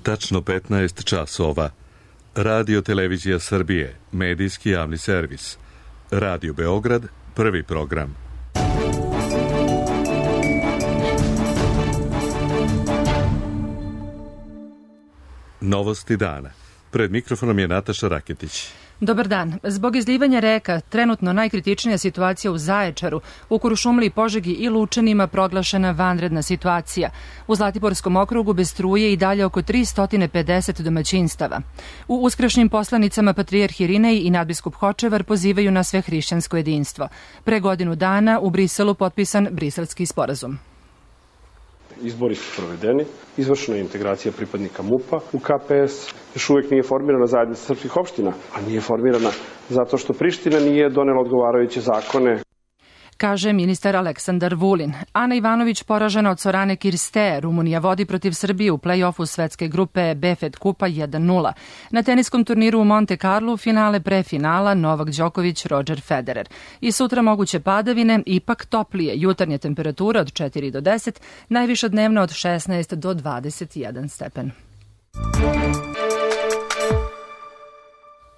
Tačno 15 časova. Radio Televizija Srbije, medijski javni servis. Radio Beograd, prvi program. Novosti dana. Pred mikrofonom je Nataša Raketić. Dobar dan. Zbog izlivanja reka, trenutno najkritičnija situacija u Zaječaru, u Kuršumliji, Požegi i Lučanima proglašena vanredna situacija. U Zlatiborskom okrugu bez struje i dalje oko 350 domaćinstava. U uskršnjim poslanicama patrijarh Irinej i nadbiskup Hočevar pozivaju na svehrišćansko jedinstvo. Pre godinu dana u Briselu potpisan Briselski sporazum. Izbori su provedeni, izvršena je integracija pripadnika MUP-a u KPS, još uvijek nije formirana zajednica srpskih opština, a nije formirana zato što Priština nije donela odgovarajuće zakone. Kaže ministar Aleksandar Vulin. Ana Ivanović poražena od Sorane Kirste. Rumunija vodi protiv Srbije u play-offu svetske grupe BFED Kupa 1-0. Na teniskom turniru u Monte Carlo finale prefinala Novak Đoković, Roger Federer. I sutra moguće padavine, ipak toplije. Jutarnja temperatura od 4 do 10, najviša dnevna od 16 do 21 stepen.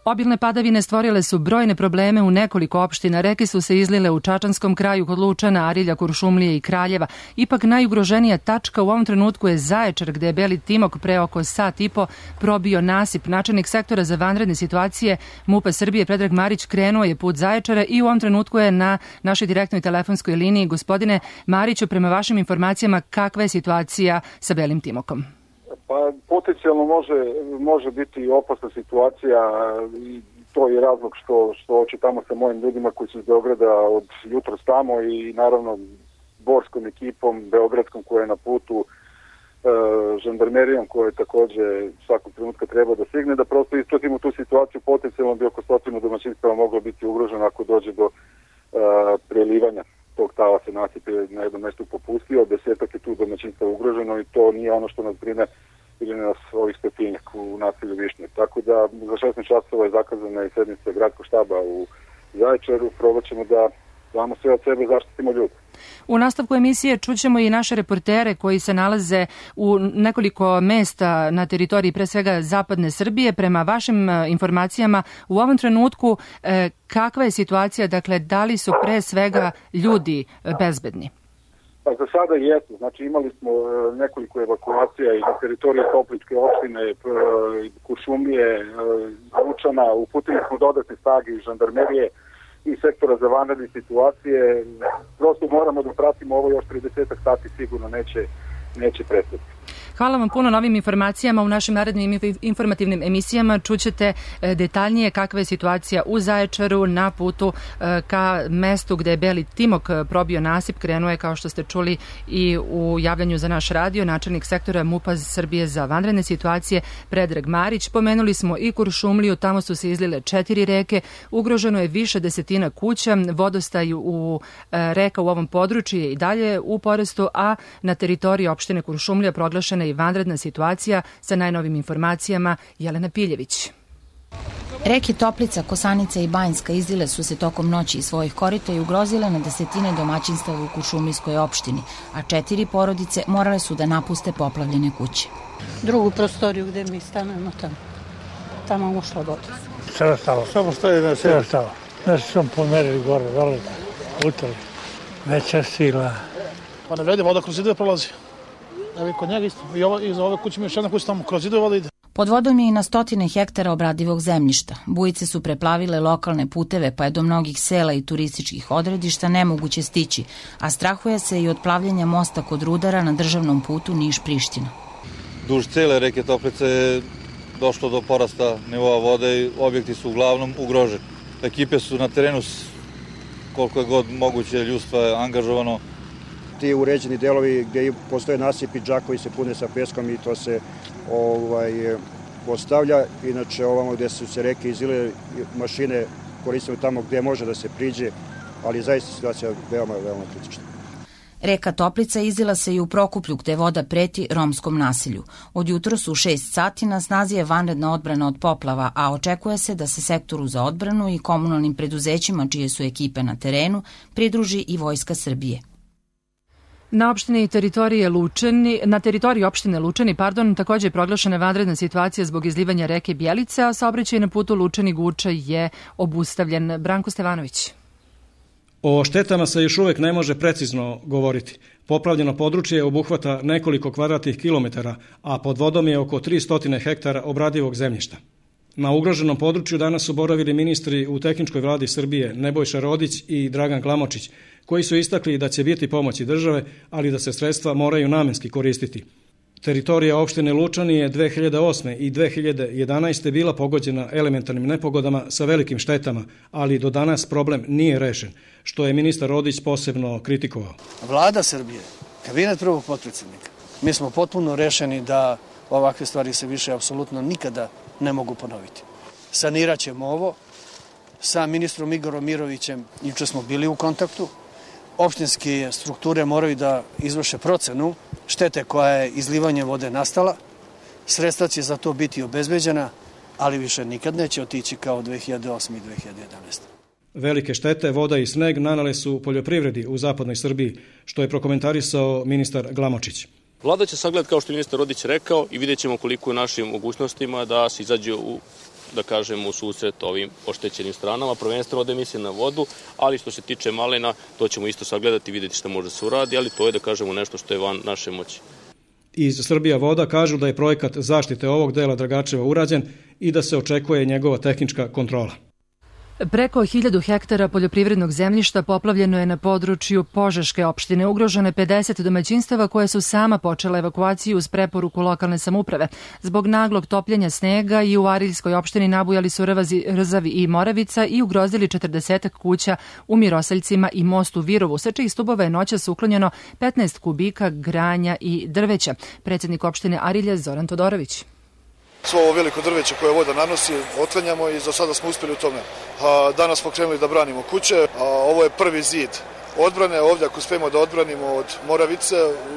Obilne padavine stvorile su brojne probleme u nekoliko opština. Reke su se izlile u Čačanskom kraju kod Lučana, Arilja, Kuršumlije i Kraljeva. Ipak najugroženija tačka u ovom trenutku je Zaječar, gde je Beli Timok pre oko sat i po probio nasip. Načelnik sektora za vanredne situacije MUP-a Srbije Predrag Marić krenuo je put Zaječara i u ovom trenutku je na našoj direktnoj telefonskoj liniji. Gospodine Mariću, prema vašim informacijama, kakva je situacija sa Belim Timokom? Pa potencijalno može biti opasna situacija i to je razlog što čitamo sa mojim ljudima koji su iz Beograda od jutros tamo i naravno borskom ekipom, beogradskom koja je na putu, žandarmerijom koja je takođe svakog trenutka treba da stigne, da prosto ispratimo tu situaciju. Potencijalno bi oko 100 domaćinstava moglo biti ugroženo ako dođe do prelivanja tog talasa nasipe na jednom mestu popustio, 10 je tu domaćinstva ugroženo i to nije ono što nas brine ili nas ovih stotinjak u naselju Višnje. Tako da za 16 časova je zakazana i sednica gradskog štaba u Zaječaru. Probat ćemo da damo sve od sebe, zaštitimo ljudi. U nastavku emisije čućemo i naše reportere koji se nalaze u nekoliko mesta na teritoriji pre svega zapadne Srbije. Prema vašim informacijama u ovom trenutku kakva je situacija, dakle da li su pre svega ljudi bezbedni? Pa za sada jesu. Znači imali smo nekoliko evakuacija i na teritoriji Topličke opštine, Kuršumlije, Lučana. Uputili smo dodatne snage iz žandarmerije i sektora za vanredne situacije. Prosto moramo da pratimo ovo, još 30 sati sigurno neće prestati. Hvala vam puno na ovim informacijama. U našim narednim informativnim emisijama čućete detaljnije kakva je situacija u Zaječaru na putu ka mestu gde je Beli Timok probio nasip. Krenuo je, kao što ste čuli i u javljanju za naš radio, načelnik sektora MUP-a Srbije za vanredne situacije Predrag Marić. Pomenuli smo i Kuršumliju, tamo su se izlile 4 reke, ugroženo je više desetina kuća, vodostaj u reka u ovom području je i dalje u porastu, a na teritoriji opštine Kuršumlija proglašena i vanredna situacija. Sa najnovim informacijama Jelena Piljević. Reke Toplica, Kosanica i Banjska izlile su se tokom noći iz svojih korita i ugrozile na desetine domaćinstava u Kuršumlijskoj opštini, a 4 porodice morale su da napuste poplavljene kuće. Drugu prostoriju gde mi stanujemo tamo ušla voda. Sve stalo, samo što je na sve stalo. Nešto sam pomerili gore, dole, utrli. Veća sila. Pa ne vredi, voda kroz zidove prolazi. Evo i kod njega isto. I iz ove kuće mi još jedna kuća tamo kroz zidove voda ide. Pod vodom je i na stotine hektara obradivog zemljišta. Bujice su preplavile lokalne puteve, pa je do mnogih sela i turističkih odredišta nemoguće stići, a strahuje se i od plavljenja mosta kod Rudara na državnom putu Niš-Priština. Duž cele reke Toplice je došlo do porasta nivoa vode i objekti su uglavnom ugroženi. Ekipe su na terenu, koliko je god moguće, ljudstva je angažovano. Ti uređeni delovi gde postoje nasipi, džakovi se pune sa peskom i to se postavlja. Inače, ovamo gde su se reke izile, mašine koristimo tamo gde može da se priđe, ali zaista situacija je veoma kritična. Reka Toplica izlila se i u Prokuplju, gde voda preti romskom nasilju. Od jutros u 6 sati na snazi je vanredna odbrana od poplava, a očekuje se da se sektoru za odbranu i komunalnim preduzećima, čije su ekipe na terenu, pridruži i Vojska Srbije. Na teritoriji opštine Lučani, takođe je proglašena vanredna situacija zbog izlivanja reke Bjelice, a saobraćaj na putu Lučani-Guča je obustavljen. Branko Stevanović. O štetama se još uvek ne može precizno govoriti. Poplavljeno područje obuhvata nekoliko kvadratnih kilometara, a pod vodom je oko 300 hektara obradivog zemljišta. Na ugroženom području danas su boravili ministri u tehničkoj vladi Srbije Nebojša Rodić i Dragan Glamočić, koji su istakli da će biti pomoći države, ali da se sredstva moraju namenski koristiti. Teritorija opštine Lučani je 2008. i 2011. bila pogođena elementarnim nepogodama sa velikim štetama, ali do danas problem nije rešen, što je ministar Rodić posebno kritikovao. Vlada Srbije, kabinet prvog potpredsjednika, mi smo potpuno rešeni da ovakve stvari se više apsolutno nikada ne mogu ponoviti. Sanirat ćemo ovo. Sa ministrom Igorom Mirovićem juče smo bili u kontaktu. Opštinske strukture moraju da izvrše procenu štete koja je izlivanjem vode nastala. Sredstva će za to biti obezbeđena, ali više nikad neće otići kao 2008. i 2011. Velike štete, voda i sneg nanale su poljoprivredi u zapadnoj Srbiji, što je prokomentarisao ministar Glamočić. Vlada će sagledati, kao što je ministar Rodić rekao, i vidjet ćemo koliko je našim mogućnostima da se izađe u susret ovim oštećenim stranama, prvenstveno ovde mislim na vodu, ali što se tiče malina, to ćemo isto sagledati i vidjeti šta može se uradi, ali to je nešto što je van naše moći. Iz Srbija voda kažu da je projekat zaštite ovog dela Dragačeva urađen i da se očekuje njegova tehnička kontrola. Preko 1000 hektara poljoprivrednog zemljišta poplavljeno je na području Požeške opštine. Ugroženo je 50 domaćinstava koje su sama počela evakuaciju uz preporuku lokalne samouprave. Zbog naglog topljenja snega i u Ariljskoj opštini nabujali su Rzavi i Moravica i ugrozili 40 kuća u Mirosaljcima i mostu Virovu, sa čijih stubova je noćas uklonjeno 15 kubika granja i drveća. Predsjednik opštine Arilje Zoran Todorović. Svo ovo veliko drveće koje voda nanosi otklanjamo i za sada smo uspjeli u tome. Danas smo krenuli da branimo kuće, ovo je prvi zid odbrane. Ovdje ako uspijemo da odbranimo od Moravice,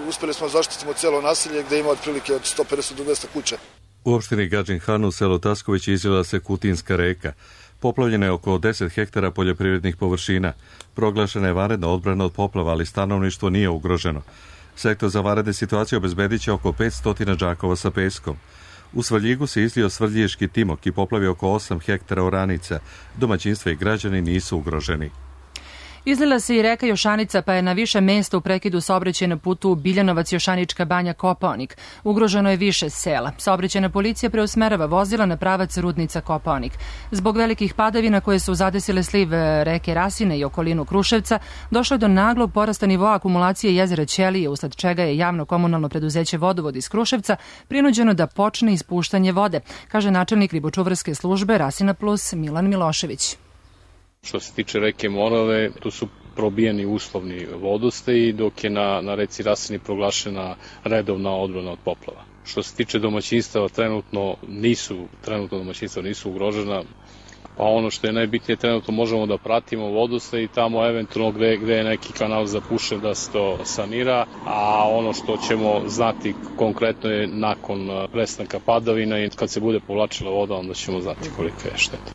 uspjeli smo zaštititi cijelo naselje gdje ima otprilike od 150 do 200 kuća. U opštini Gadžin Han u selu Tasković izljela se Kutinska reka. Poplavljeno je oko 10 hektara poljoprivrednih površina. Proglašena je vanredna odbrana od poplava, ali stanovništvo nije ugroženo. Sektor za vanredne situacije obezbedit će oko 500 džakova sa peskom. U Svrljigu se izlio Svrljiški timok i poplavio oko 8 hektara oranica. Domaćinstva i građani nisu ugroženi. Izlila se i reka Jošanica, pa je na više mesta u prekidu saobraćaj na putu Biljanovac-Jošanička banja Kopaonik. Ugroženo je više sela. Saobraćajna policija preusmerava vozila na pravac Rudnica-Kopaonik. Zbog velikih padavina koje su zadesile sliv reke Rasine i okolinu Kruševca, došlo je do naglog porasta nivoa akumulacije jezera Ćelije, usled čega je javno komunalno preduzeće Vodovod iz Kruševca prinuđeno da počne ispuštanje vode, kaže načelnik ribočuvarske službe Rasina Plus Milan Milošević. Što se tiče reke Morave, tu su probijeni uslovni vodostaji, dok je na reci Rasini proglašena redovna odbrana od poplava. Što se tiče domaćinstava, trenutno domaćinstva nisu ugrožena, pa ono što je najbitnije, trenutno možemo da pratimo vodostaj i tamo eventualno gde je neki kanal zapušen da se to sanira, a ono što ćemo znati konkretno je nakon prestanka padavina i kad se bude povlačila voda, onda ćemo znati kolika je šteta.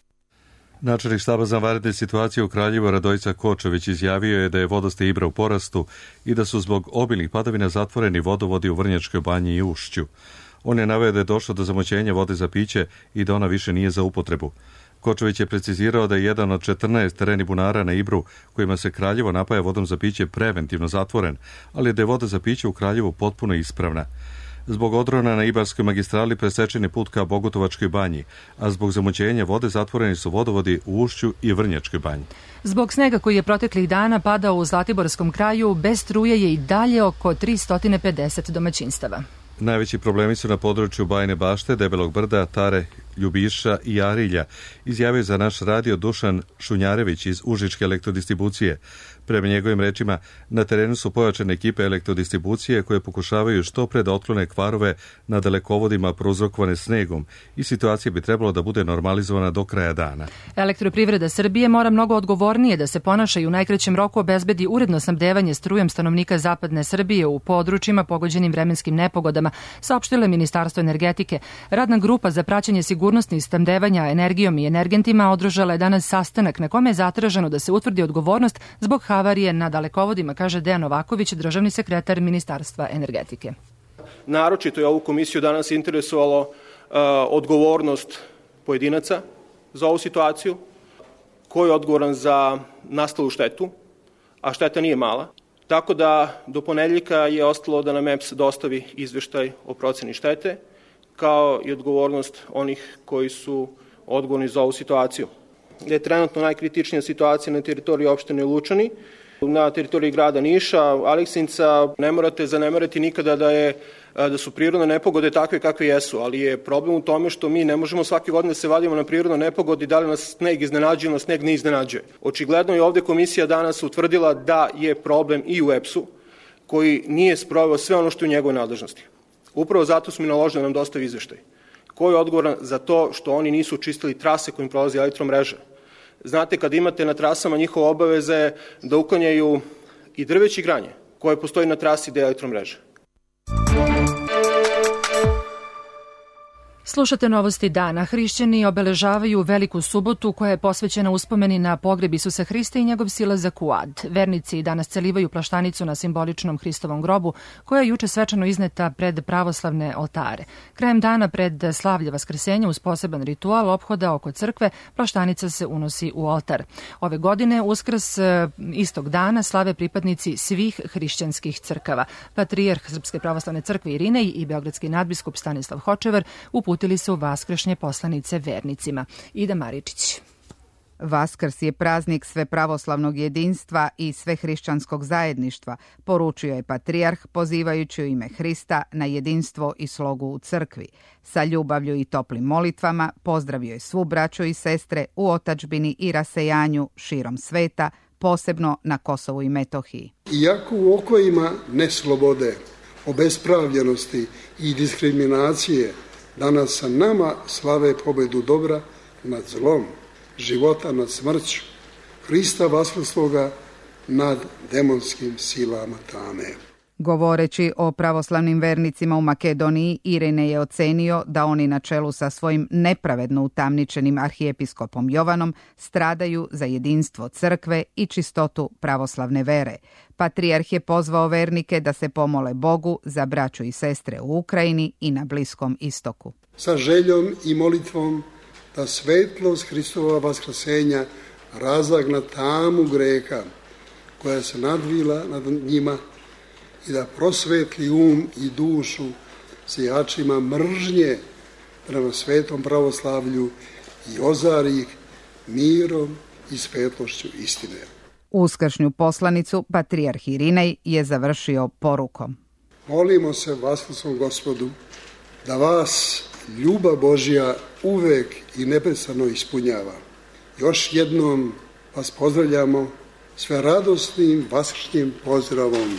Načelnik štaba za vanredne situacije u Kraljevu Radojica Kočević izjavio je da je vodostaj Ibra u porastu i da su zbog obilnih padavina zatvoreni vodovodi u Vrnjačkoj banji i Ušću. On je naveo da je došlo do zamoćenja vode za piće i da ona više nije za upotrebu. Kočević je precizirao da je jedan od 14 tereni bunara na Ibru kojima se Kraljevo napaja vodom za piće preventivno zatvoren, ali da je voda za piće u Kraljevu potpuno ispravna. Zbog odrona na Ibarskoj magistrali presečen je put ka Bogutovačkoj banji, a zbog zamoćenja vode zatvoreni su vodovodi u Ušću i Vrnjačkoj banji. Zbog snega koji je proteklih dana padao u Zlatiborskom kraju, bez struje je i dalje oko 350 domaćinstava. Najveći problemi su na području Bajine Bašte, Debelog brda, Tare, Ljubiša i Arilja, izjavio za naš radio Dušan Šunjarević iz Užičke elektrodistribucije. Prema njegovim rečima, na terenu su pojačane ekipe elektrodistribucije koje pokušavaju što pre da otklone kvarove na dalekovodima prouzrokovane snegom i situacija bi trebalo da bude normalizovana do kraja dana. Elektroprivreda Srbije mora mnogo odgovornije da se ponaša i u najkraćem roku obezbedi uredno snabdevanje strujem stanovnika zapadne Srbije u područjima pogođenim vremenskim nepogodama, saopštilo je Ministarstvo energetike. Radna grupa za praćenje sigurnosti sigurnosti snabdevanja energijom i energentima održala je danas sastanak na kome je zatraženo da se utvrdi odgovornost zbog havarije na dalekovodima, kaže Dejan Novaković, državni sekretar Ministarstva energetike. Naročito je ovu komisiju danas interesovalo odgovornost pojedinaca za ovu situaciju, ko je odgovoran za nastalu štetu, a šteta nije mala. Tako da do ponedeljka je ostalo da nam EPS dostavi izveštaj o proceni štete, kao i odgovornost onih koji su odgovorni za ovu situaciju. Da je trenutno najkritičnija situacija na teritoriji opštine Lučani, na teritoriji grada Niša, Aleksinca. Ne morate zanemariti nikada da su prirodne nepogode takve kakve jesu, ali je problem u tome što mi ne možemo svake godine da se vadimo na prirodne nepogode, da li nas sneg iznenađuje ili nas sneg ne iznenađuje. Očigledno je ovde komisija danas utvrdila da je problem i u EPS-u, koji nije sproveo sve ono što je u njegovoj nadležnosti. Upravo zato smo i naložili da nam dostavi izveštaj. Ko je odgovoran za to što oni nisu čistili trase kojim prolazi elektromreža? Znate, kad imate na trasama, njihova obaveza je da uklanjaju i drveće i granje koje postoji na trasi gde je elektromreža. Slušate novosti dana. Hrišćani obeležavaju Veliku subotu koja je posvećena uspomeni na pogreb Isusa Hrista i njegov silazak u ad. Vernici danas celivaju plaštanicu na simboličnom Hristovom grobu koja je juče svečano izneta pred pravoslavne oltare. Krajem dana pred slavlje Vaskrsenja uz poseban ritual ophoda oko crkve plaštanica se unosi u oltar. Ove godine Uskrs istog dana slave pripadnici svih hrišćanskih crkava. Patrijarh Srpske pravoslavne crkve Irinej i beogradski nadbiskup Stanislav Hočevar uputili su vaskršnje poslanice vernicima. Ida Maričić. Vaskrs je praznik svepravoslavnog jedinstva i svehrišćanskog zajedništva, poručio je patrijarh pozivajući u ime Hrista na jedinstvo i slogu u crkvi. Sa ljubavlju i toplim molitvama pozdravio je svu braću i sestre u otadžbini i rasejanju širom sveta, posebno na Kosovu i Metohiji. Iako u okojima neslobode, obespravljenosti i diskriminacije danas sa nama slave pobedu dobra nad zlom, života nad smrću, Hrista vaskrsloga nad demonskim silama tame. Govoreći o pravoslavnim vernicima u Makedoniji, Irine je ocenio da oni na čelu sa svojim nepravedno utamničenim arhijepiskopom Jovanom stradaju za jedinstvo crkve i čistotu pravoslavne vere. Patrijarh je pozvao vernike da se pomole Bogu za braću i sestre u Ukrajini i na Bliskom istoku. Sa željom i molitvom da svetlost Hristova vaskrsenja razagna tamu greha koja se nadvila nad njima i da prosvetli i dušu sijačima mržnje prema svetom pravoslavlju i ozari ih mirom i svetlošću istine. Uskršnju poslanicu patrijarh Irinej je završio porukom. Molimo se vaskrsnom Gospodu da vas ljubav Božja uvek i neprestano ispunjava. Još jednom vas pozdravljamo sve radosnim vaskršnjim pozdravom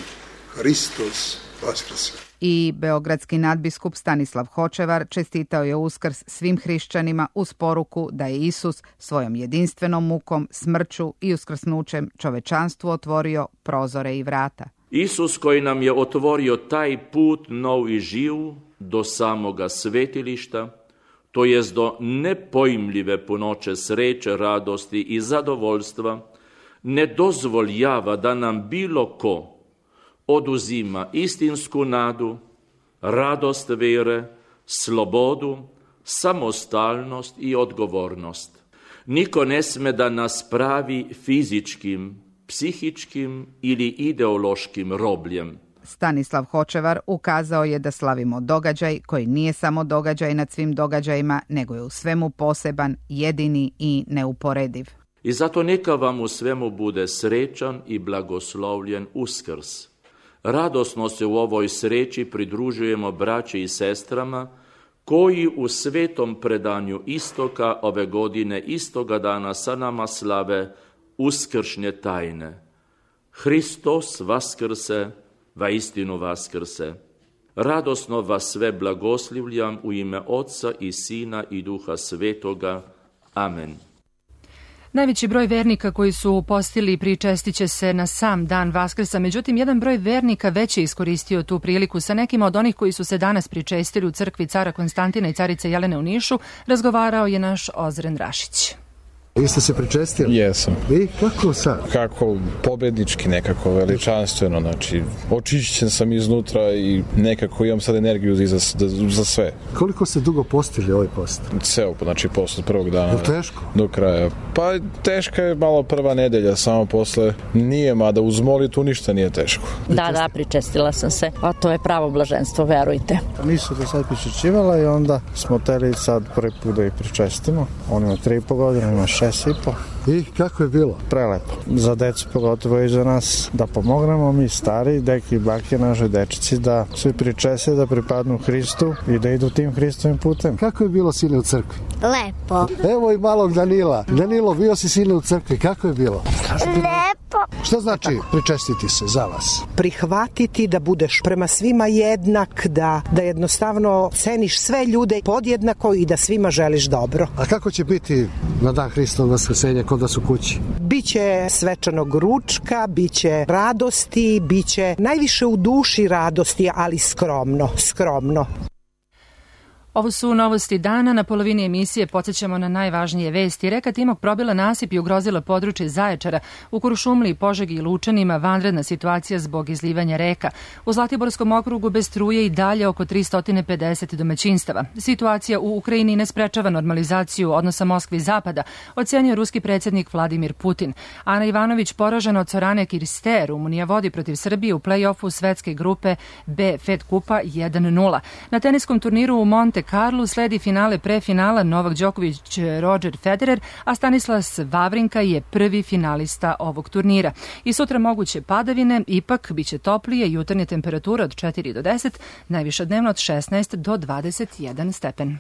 Hristos vaskrse. I beogradski nadbiskup Stanislav Hočevar čestitao je Uskrs svim hrišćanima uz poruku da je Isus svojom jedinstvenom mukom, smrću i uskrsnućem čovečanstvu otvorio prozore i vrata. Isus koji nam je otvorio taj put nov i živ do samoga svetilišta, to jest do nepojmljive punoće sreće, radosti i zadovoljstva, ne dozvoljava da nam bilo ko oduzima istinsku nadu, radost vere, slobodu, samostalnost i odgovornost. Niko ne sme da nas pravi fizičkim, psihičkim ili ideološkim robljem. Stanislav Hočevar ukazao je da slavimo događaj koji nije samo događaj nad svim događajima, nego je u svemu poseban, jedini i neuporediv. I zato neka vam u svemu bude srećan i blagoslovljen Uskrs. Radosno se u ovoj sreći pridružujemo braći i sestrama koji u svetom predanju istoka ove godine istoga dana sa nama slave uskršnje tajne. Hristos vaskrse, vaistinu vaskrse. Radosno vas sve blagoslivljam u ime Otca i Sina i Duha Svetoga. Amen. Najveći broj vernika koji su postili pričestiće se na sam dan Vaskrsa, međutim jedan broj vernika već je iskoristio tu priliku. Sa nekima od onih koji su se danas pričestili u crkvi cara Konstantina i carice Jelene u Nišu razgovarao je naš Ozren Rašić. Vi ste se pričestili? Jesam. I kako sad? Kako pobednički, nekako veličanstveno, znači očišćen sam iznutra i nekako imam sad energiju za sve. Koliko ste dugo postili ovaj post? Ceo, znači post od prvog dana. Je teško? Do kraja. Pa teška je malo prva nedelja, samo posle nije, mada uz molitvu ništa nije teško. Da, pričestila sam se, a to je pravo blaženstvo, verujte. Nisu do sad pričešćivala i onda smo teli sad prvi put da ih pričestimo. On ima 3,5 godine, ima 6,5. I kako je bilo? Prelepo. Za decu pogotovo i za nas da pomognemo mi stari, deki i bake, našoj dečici da svi pričese, da pripadnu Hristu i da idu tim Hristovim putem. Kako je bilo sine u crkvi? Lepo. Evo i malog Danila. Danilo, bio si sine u crkvi, kako je bilo? Lepo. Šta znači pričestiti se za vas? Prihvatiti da budeš prema svima jednak, da jednostavno ceniš sve ljude podjednako i da svima želiš dobro. A kako će biti na dan Hristovog vaskrsenja kod vas u kući? Biće svečanog ručka, biće radosti, biće najviše u duši radosti, ali skromno. Ovo su novosti dana. Na polovini emisije podsjećamo na najvažnije vesti. Reka Timok probila nasip i ugrozila područje Zaječara. U Kuršumliji, Požegi i Lučanima vanredna situacija zbog izlivanja reka. U Zlatiborskom okrugu bez struje i dalje oko 350 domaćinstava. Situacija u Ukrajini ne sprečava normalizaciju odnosa Moskve i Zapada, ocenio ruski predsjednik Vladimir Putin. Ana Ivanović poražena od Sorane Kirste. Rumunija vodi protiv Srbije u play-offu svetske grupe B Fed Kupa 1-0. Na teniskom turniru u Monte Carlo sledi finale prefinala Novak Đoković, Roger Federer, a Stanislas Wawrinka je prvi finalista ovog turnira. I sutra moguće padavine, ipak biće toplije, jutarnje temperature od 4 do 10, najviša dnevno od 16 do 21 stepen.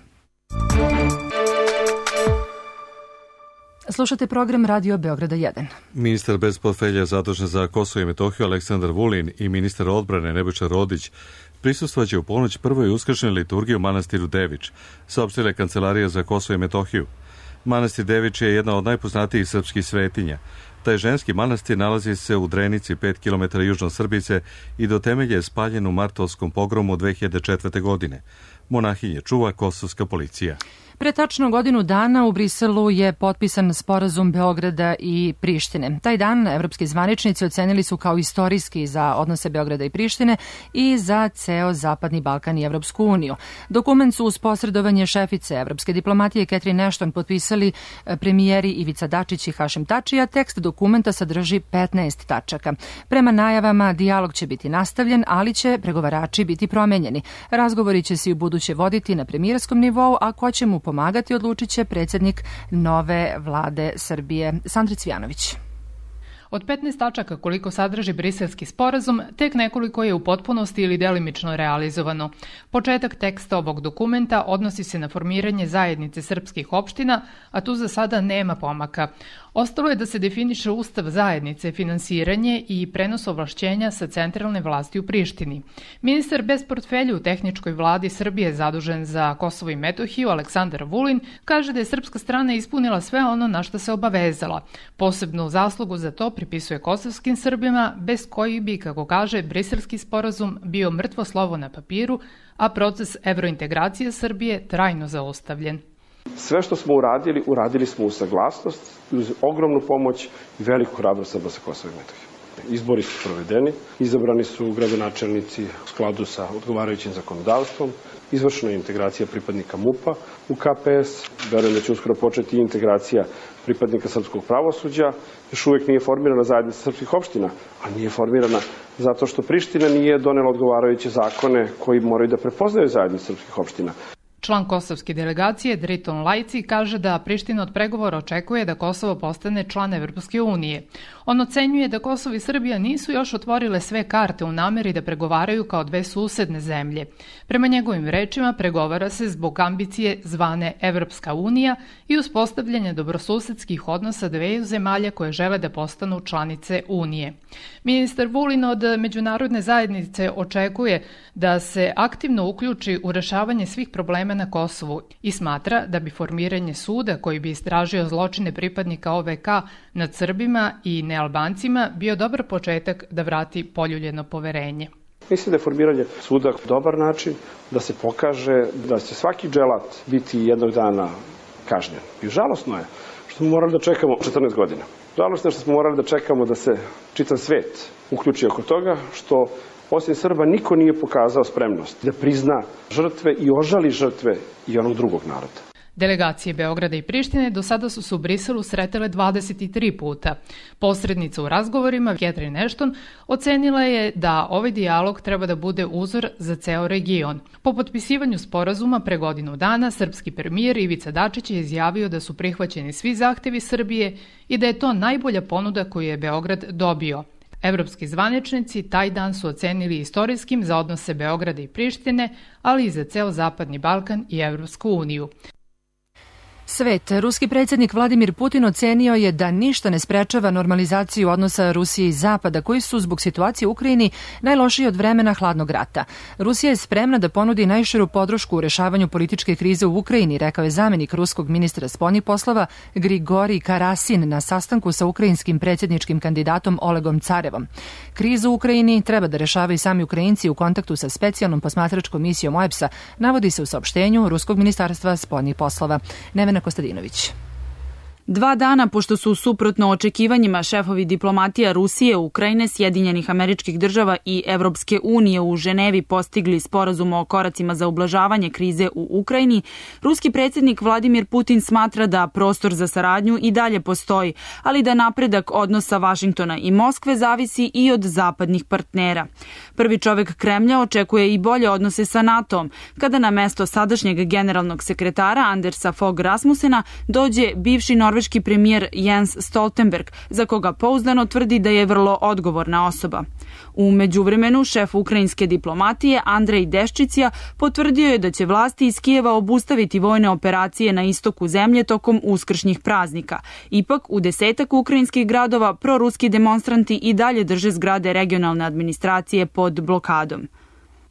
Slušate program Radio Beograda 1. Ministar bez portfelja zadužen za Kosovo i Metohiju Aleksandar Vulin i ministar odbrane Nebojša Rodić prisustvovaće u ponoć prvoj uskršnjoj liturgiji u manastiru Devič, saopštila Kancelarija za Kosovo i Metohiju. Manastir Devič je jedna od najpoznatijih srpskih svetinja. Taj ženski manastir nalazi se u Drenici, 5 km južno od Srbice i do temelja je spaljen u martovskom pogromu 2004. godine. Monahinje čuva kosovska policija. Pre tačno godinu dana u Briselu je potpisan sporazum Beograda i Prištine. Taj dan evropski zvaničnici ocenili su kao istorijski za odnose Beograda i Prištine i za ceo Zapadni Balkan i Evropsku uniju. Dokument su uz posredovanje šefice evropske diplomatije Catherine Ashton potpisali premijeri Ivica Dačić i Hašim Tači, a tekst dokumenta sadrži 15 tačaka. Prema najavama, dijalog će biti nastavljen, ali će pregovarači biti promenjeni. Razgovori će se i u buduće voditi na premijerskom nivou, a ko će mu pomagati odlučit će predsjednik nove vlade Srbije, Sandra Cvijanović. Od 15 tačaka koliko sadrži briselski sporazum, tek nekoliko je u potpunosti ili delimično realizovano. Početak teksta ovog dokumenta odnosi se na formiranje zajednice srpskih opština, a tu za sada nema pomaka. Ostalo je da se definiše ustav zajednice, finansiranje i prenos ovlašćenja sa centralne vlasti u Prištini. Ministar bez portfelja u tehničkoj vladi Srbije zadužen za Kosovo i Metohiju, Aleksandar Vulin, kaže da je srpska strana ispunila sve ono na što se obavezala. Posebnu zaslugu za to pripisuje kosovskim Srbima, bez kojih bi, kako kaže, briselski sporazum bio mrtvo slovo na papiru, a proces evrointegracije Srbije trajno zaustavljen. Sve što smo uradili smo uz saglasnost, uz ogromnu pomoć i veliku hrabrost Srba sa Kosova i Metohije. Izbori su provedeni, izabrani su gradonačelnici u skladu sa odgovarajućim zakonodavstvom, izvršena je integracija pripadnika MUP-a u KPS, verujem da će uskoro početi integracija pripadnika srpskog pravosuđa, još uvijek nije formirana zajednica srpskih opština, a nije formirana zato što Priština nije donela odgovarajuće zakone koji moraju da prepoznaju zajednicu srpskih opština. Član kosovske delegacije Driton Lajci kaže da Priština od pregovora očekuje da Kosovo postane član Evropske unije. On ocenjuje da Kosovo i Srbija nisu još otvorile sve karte u nameri da pregovaraju kao dve susedne zemlje. Prema njegovim rečima pregovara se zbog ambicije zvane Evropska unija i uspostavljanja dobrosusedskih odnosa dveju zemalja koje žele da postanu članice Unije. Ministar Vulin od međunarodne zajednice očekuje da se aktivno uključi u rešavanje svih problema probleme na Kosovu i smatra da bi formiranje suda koji bi istražio zločine pripadnika OVK nad Srbima i nealbancima bio dobar početak da vrati poljuljeno poverenje. Mislim da je formiranje suda dobar način da se pokaže da će svaki dželat biti jednog dana kažnjen. I žalosno je što smo morali da čekamo 14 godina. Žalosno je što smo morali da čekamo da se čitav svet uključi oko toga, što osim Srba niko nije pokazao spremnost da prizna žrtve i ožali žrtve i onog drugog naroda. Delegacije Beograda i Prištine do sada su se u Briselu sretele 23 puta. Posrednica u razgovorima, Catherine Ashton, ocenila je da ovaj dijalog treba da bude uzor za ceo region. Po potpisivanju sporazuma pre godinu dana, srpski premijer Ivica Dačić je izjavio da su prihvaćeni svi zahtevi Srbije i da je to najbolja ponuda koju je Beograd dobio. Evropski zvaničnici taj dan su ocenili istorijskim za odnose Beograda i Prištine, ali i za ceo Zapadni Balkan i Evropsku uniju. Svet. Ruski predsjednik Vladimir Putin ocenio je da ništa ne sprečava normalizaciju odnosa Rusije i Zapada, koji su zbog situacije u Ukrajini najlošiji od vremena hladnog rata. Rusija je spremna da ponudi najširu podršku u rešavanju političke krize u Ukrajini, rekao je zamenik ruskog ministra spoljnih poslova Grigorij Karasin na sastanku sa ukrajinskim predsjedničkim kandidatom Olegom Carevom. Krizu u Ukrajini treba da rešavaju sami Ukrajinci u kontaktu sa specijalnom posmatračkom misijom OEBS-a, navodi se u saopštenju Ruskog ministarstva spoljnih poslova. Nevena Kostadinović. 2 dana pošto su suprotno očekivanjima šefovi diplomatija Rusije, Ukrajine, Sjedinjenih Američkih Država i Evropske unije u Ženevi postigli sporazum o koracima za ublažavanje krize u Ukrajini, ruski predsjednik Vladimir Putin smatra da prostor za saradnju i dalje postoji, ali da napredak odnosa Vašingtona i Moskve zavisi i od zapadnih partnera. Prvi čovek Kremlja očekuje i bolje odnose sa NATO-om, kada na mesto sadašnjeg generalnog sekretara Andersa Fogh Rasmussena dođe bivši norveški premijer Jens Stoltenberg, za koga pouzdano tvrdi da je vrlo odgovorna osoba. U međuvremenu, šef ukrajinske diplomatije Andrej Deščicija potvrdio je da će vlasti iz Kijeva obustaviti vojne operacije na istoku zemlje tokom uskršnjih praznika. Ipak, u 10 ukrajinskih gradova proruski demonstranti i dalje drže zgrade regionalne administracije pod blokadom.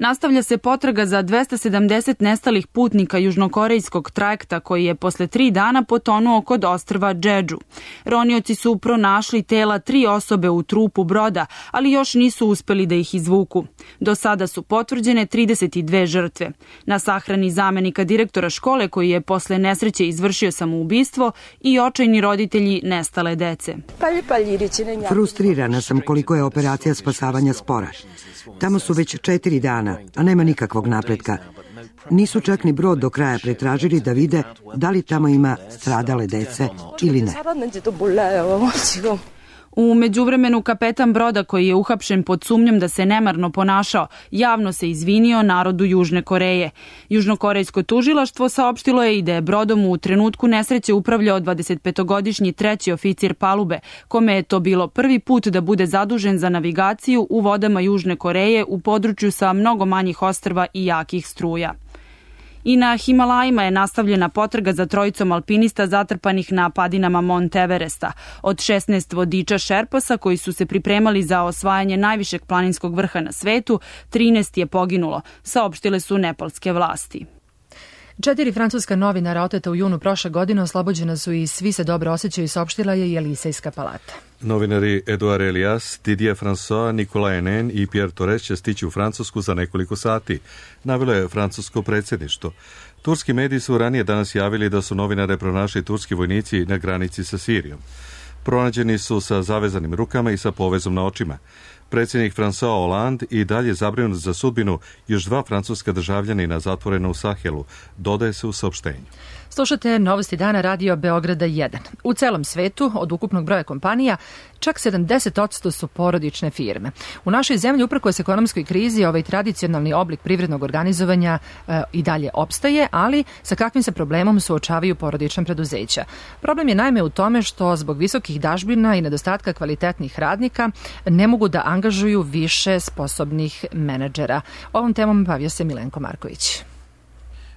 Nastavlja se potraga za 270 nestalih putnika južnokorejskog trajekta koji je posle 3 dana potonuo kod ostrva Džedžu. Ronioci su pronašli tela 3 osobe u trupu broda, ali još nisu uspeli da ih izvuku. Do sada su potvrđene 32 žrtve. Na sahrani zamenika direktora škole koji je posle nesreće izvršio samoubistvo i očajni roditelji nestale dece. Frustrirana sam koliko je operacija spasavanja spora. Tamo su već 4 dana, a nema nikakvog napretka. Nisu čak ni brod do kraja pretražili da vide da li tamo ima stradale dece ili ne. U međuvremenu kapetan broda koji je uhapšen pod sumnjom da se nemarno ponašao, javno se izvinio narodu Južne Koreje. Južnokorejsko tužilaštvo saopštilo je i da je brodom u trenutku nesreće upravljao 25-godišnji treći oficir palube, kome je to bilo prvi put da bude zadužen za navigaciju u vodama Južne Koreje u području sa mnogo manjih ostrva i jakih struja. I na Himalajima je nastavljena potraga za trojicom alpinista zatrpanih na padinama Mont Everesta. Od 16 vodiča Šerpasa koji su se pripremali za osvajanje najvišeg planinskog vrha na svetu, 13 je poginulo, saopštile su nepalske vlasti. 4 francuska novinara oteta u junu prošle godine oslobođena su i svi se dobro osjećaju, saopštila je Jelisejska palata. Novinari Edouard Elias, Didier François, Nicolas Henin i Pierre Torres će stići u Francusku za nekoliko sati, navelo je francusko predsjedništvo. Turski mediji su ranije danas javili da su novinare pronašli turski vojnici na granici sa Sirijom. Pronađeni su sa zavezanim rukama i sa povezom na očima. Predsjednik François Hollande i dalje zabrinut za sudbinu još 2 francuska državljanina zatvorena u Sahelu, dodaje se u saopštenju. Slušate Novosti dana radio Beograda 1. U celom svetu, od ukupnog broja kompanija, čak 70% su porodične firme. U našoj zemlji, uprkos ekonomskoj krizi, ovaj tradicionalni oblik privrednog organizovanja i dalje opstaje, ali sa kakvim se problemom suočavaju porodična preduzeća. Problem je naime u tome što zbog visokih dažbina i nedostatka kvalitetnih radnika ne mogu da angažuju više sposobnih menadžera. Ovom temom bavio se Milenko Marković.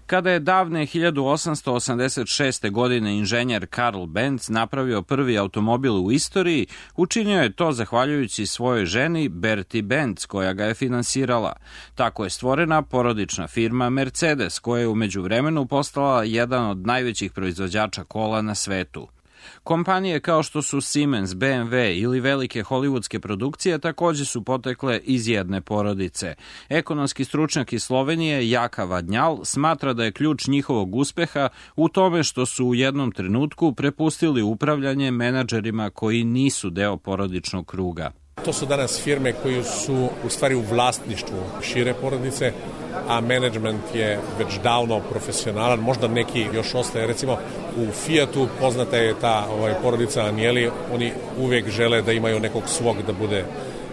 Kada je davne 1886. godine inženjer Karl Benz napravio prvi automobil u istoriji, učinio je to zahvaljujući svojoj ženi Berti Benz, koja ga je finansirala. Tako je stvorena porodična firma Mercedes, koja je u međuvremenu postala jedan od najvećih proizvođača kola na svetu. Kompanije kao što su Siemens, BMW ili velike hollywoodske produkcije takođe su potekle iz jedne porodice. Ekonomski stručnjak iz Slovenije Jaka Vadnjal smatra da je ključ njihovog uspeha u tome što su u jednom trenutku prepustili upravljanje menadžerima koji nisu deo porodičnog kruga. To su danas firme koje su u stvari u vlasništvu šire porodice, a menadžment je već davno profesionalan, možda neki još ostaje. Recimo u Fiatu poznata je ta porodica Agnelli, oni uvek žele da imaju nekog svog da bude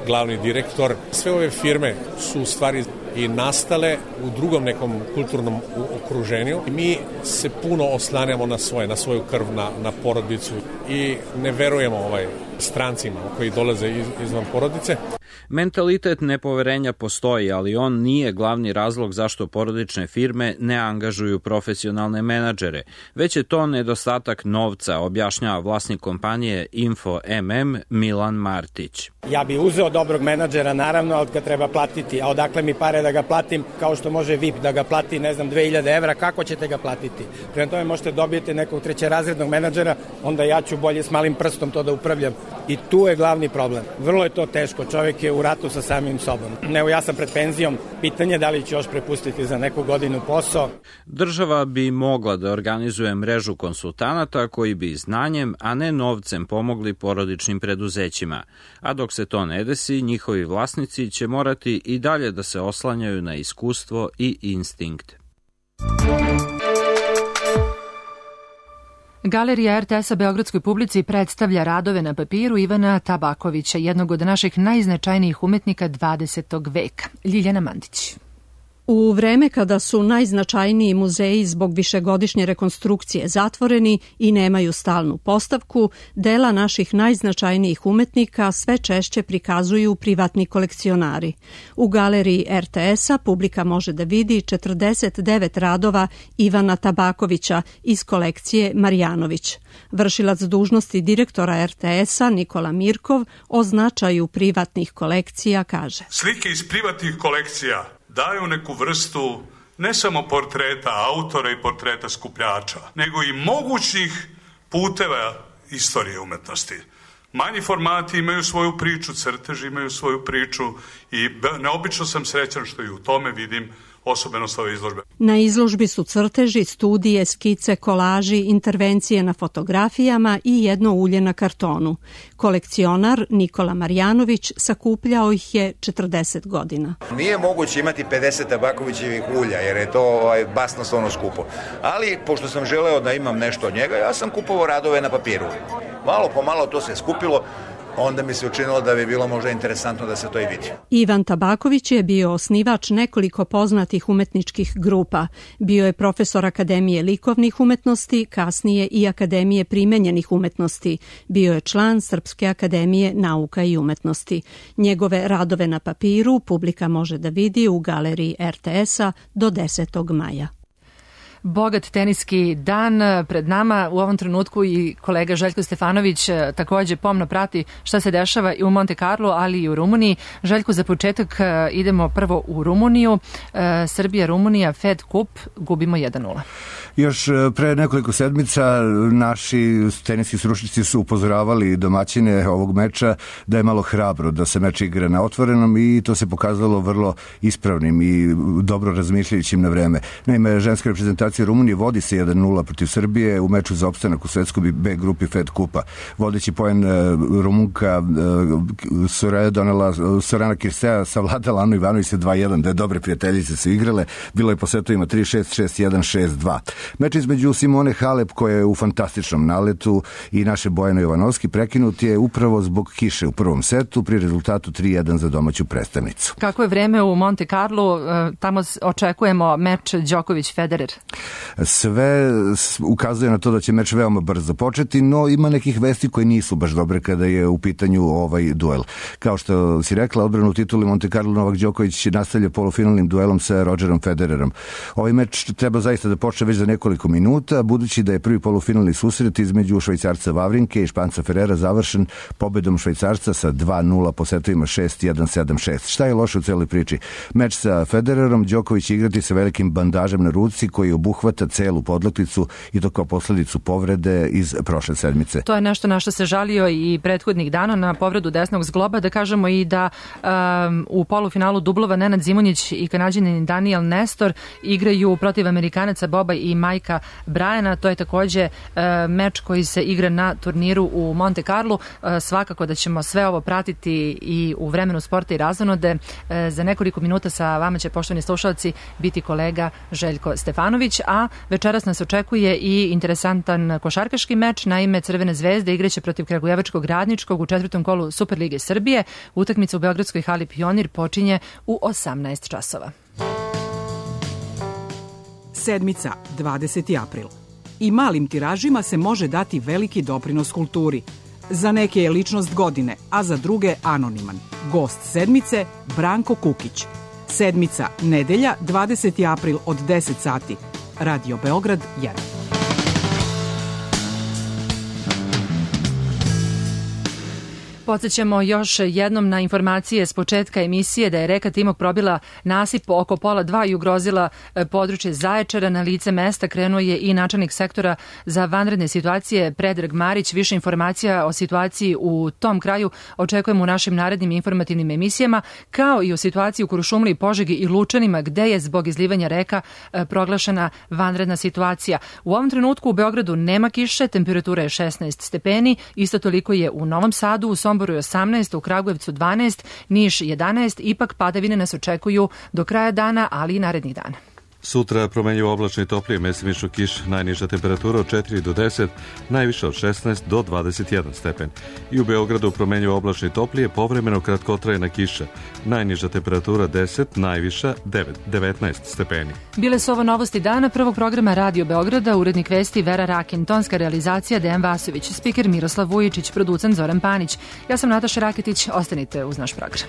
glavni direktor. Sve ove firme su u stvari i nastale u drugom nekom kulturnom okruženju. Mi se puno oslanjamo na svoju krv, na porodicu i ne verujemo strancima koji dolaze izvan porodice. Mentalitet nepoverenja postoji, ali on nije glavni razlog zašto porodične firme ne angažuju profesionalne menadžere, već je to nedostatak novca, objašnjava vlasnik kompanije Info MM Milan Martić. Ja bi uzeo dobrog menadžera, naravno, ali ga treba platiti. A odakle mi pare da ga platim, kao što može VIP da ga plati, 2000 evra, kako ćete ga platiti? Prema tome možete dobijete nekog trećerazrednog menadžera, onda ja ću bolje s malim prstom to da upravljam. I tu je glavni problem. Vrlo je to teško, čovjek je u ratu sa samim sobom. Evo, ja sam pred penzijom, pitanje da li ću još prepustiti za neku godinu posao. Država bi mogla da organizuje mrežu konsultanata koji bi znanjem, a ne novcem pomogli porodičnim preduzećima. A dok se to ne desi, njihovi vlasnici će morati i dalje da se oslanjaju na iskustvo i instinkt. Galerija RTS-a beogradskoj publici predstavlja radove na papiru Ivana Tabakovića, jednog od naših najznačajnijih umetnika 20. veka. Ljiljana Mandić. U vreme kada su najznačajniji muzeji zbog višegodišnje rekonstrukcije zatvoreni i nemaju stalnu postavku, dela naših najznačajnijih umetnika sve češće prikazuju privatni kolekcionari. U galeriji RTS-a publika može da vidi 49 radova Ivana Tabakovića iz kolekcije Marjanović. Vršilac dužnosti direktora RTS-a Nikola Mirkov o značaju privatnih kolekcija kaže: Slike iz privatnih kolekcija daju neku vrstu ne samo portreta autora i portreta skupljača, nego i mogućih puteva istorije umetnosti. Manji formati imaju svoju priču, crteži imaju svoju priču i neobično sam srećan što i u tome vidim osobenost ove izložbe. Na izložbi su crteži, studije, skice, kolaži, intervencije na fotografijama i jedno ulje na kartonu. Kolekcionar Nikola Marjanović sakupljao ih je 40 godina. Nije moguće imati 50 Tabakovićevih ulja jer je to basnoslovno skupo. Ali pošto sam želeo da imam nešto od njega, ja sam kupovao radove na papiru. Malo po malo to se skupilo. Onda mi se učinilo da bi bilo možda interesantno da se to i vidi. Ivan Tabaković je bio osnivač nekoliko poznatih umetničkih grupa. Bio je profesor Akademije likovnih umetnosti, kasnije i Akademije primenjenih umetnosti. Bio je član Srpske akademije nauka i umetnosti. Njegove radove na papiru publika može da vidi u galeriji RTS-a do 10. maja. Bogat teniski dan pred nama u ovom trenutku i kolega Željko Stefanović takođe pomno prati šta se dešava i u Monte Carlo, ali i u Rumuniji. Željko, za početak idemo prvo u Rumuniju. Srbija-Rumunija, Fed Cup, gubimo 1-0. Još pre nekoliko sedmica naši teniski stručnjaci su upozoravali domaćine ovog meča da je malo hrabro da se meč igra na otvorenom i to se pokazalo vrlo ispravnim i dobro razmišljajućim na vreme. Naime, ženska reprezentacija Rumunije vodi se 1-0 protiv Srbije u meču za opstanak u svetskoj B grupi Fed Kupa. Vodeći poen Rumunka Sorana Kirstea savladala Anu Ivanović sa 2-1, da dobre prijateljice su igrale. Bilo je po setovima 3-6, 6-1, 6-2. Meč između Simone Halep, koja je u fantastičnom naletu, i naše Bojane Jovanovski prekinut je upravo zbog kiše u prvom setu pri rezultatu 3-1 za domaću predstavnicu. Kako je vreme u Monte Carlo? Tamo očekujemo meč Đoković-Federer. Sve ukazuje na to da će meč veoma brzo početi, no ima nekih vesti koje nisu baš dobre kada je u pitanju ovaj duel. Kao što si rekla, odbranu tituli Monte Carlo Novak Đoković nastavlja polufinalnim duelom sa Rodgerom Federerom. Ovaj meč treba zaista da počne već za nekoliko minuta, budući da je prvi polufinalni susret između Švajcarca Vavrinke i Španca Ferrera završen pobedom Švajcarca sa 2-0 po setovima 6-1, 7-6. Šta je loše u celoj priči? Meč sa Federerom Đoković će igrati sa velikim bandažem na ruci koji obuhvata celu podlakticu i to kao posledicu povrede iz prošle sedmice. To je nešto na što se žalio i prethodnih dana na povredu desnog zgloba. Da kažemo i da u polufinalu dublova Nenad Zimonjić i Kanađanin Daniel Nestor igraju protiv Amerikanaca Boba i Majka Brajana. To je takođe meč koji se igra na turniru u Monte Carlo. Svakako da ćemo sve ovo pratiti i u vremenu sporta i razonode. Za nekoliko minuta sa vama će, poštovani slušalci, biti kolega Željko Stefanović, a večeras nas očekuje i interesantan košarkaški meč. Naime, Crvene zvezde igraće protiv Kragujevačkog Radničkog u 4. kolu Superlige Srbije. Utakmica u Beogradskoj hali Pionir počinje u 18 časova. Sedmica, 20. april. I malim tiražima se može dati veliki doprinos kulturi. Za neke je ličnost godine, a za druge anoniman. Gost sedmice, Branko Kukić. Sedmica, nedelja, 20. april od 10 sati. Radio Beograd 1. Podsećamo još jednom na informacije s početka emisije da je reka Timok probila nasip oko 1:30 i ugrozila područje Zaječara. Na lice mesta krenuo je i načelnik sektora za vanredne situacije Predrag Marić. Više informacija o situaciji u tom kraju očekujemo u našim narednim informativnim emisijama, kao i o situaciji u Kurušumliji, Požegi i Lučanima, gde je zbog izlivanja reka proglašena vanredna situacija. U ovom trenutku u Beogradu nema kiše, temperatura je 16 stepeni, isto toliko je u Novom Sadu, u Somboru je 18, u Kragujevcu 12, Niš 11, ipak padavine nas očekuju do kraja dana, ali i narednih dana. Sutra promenljivo oblačno i toplije, mestimično kiš, najniža temperatura od 4 do 10, najviša od 16 do 21 stepen. I u Beogradu promenljivo oblačno i toplije, povremeno kratkotrajna kiša, najniža temperatura 10, najviša 19 stepeni. Bile su ovo novosti dana prvog programa Radio Beograda, urednik vesti Vera Rakin, tonska realizacija Dejan Vasović, spiker Miroslav Vujičić, producent Zoran Panić. Ja sam Nataša Raketić, ostanite uz naš program.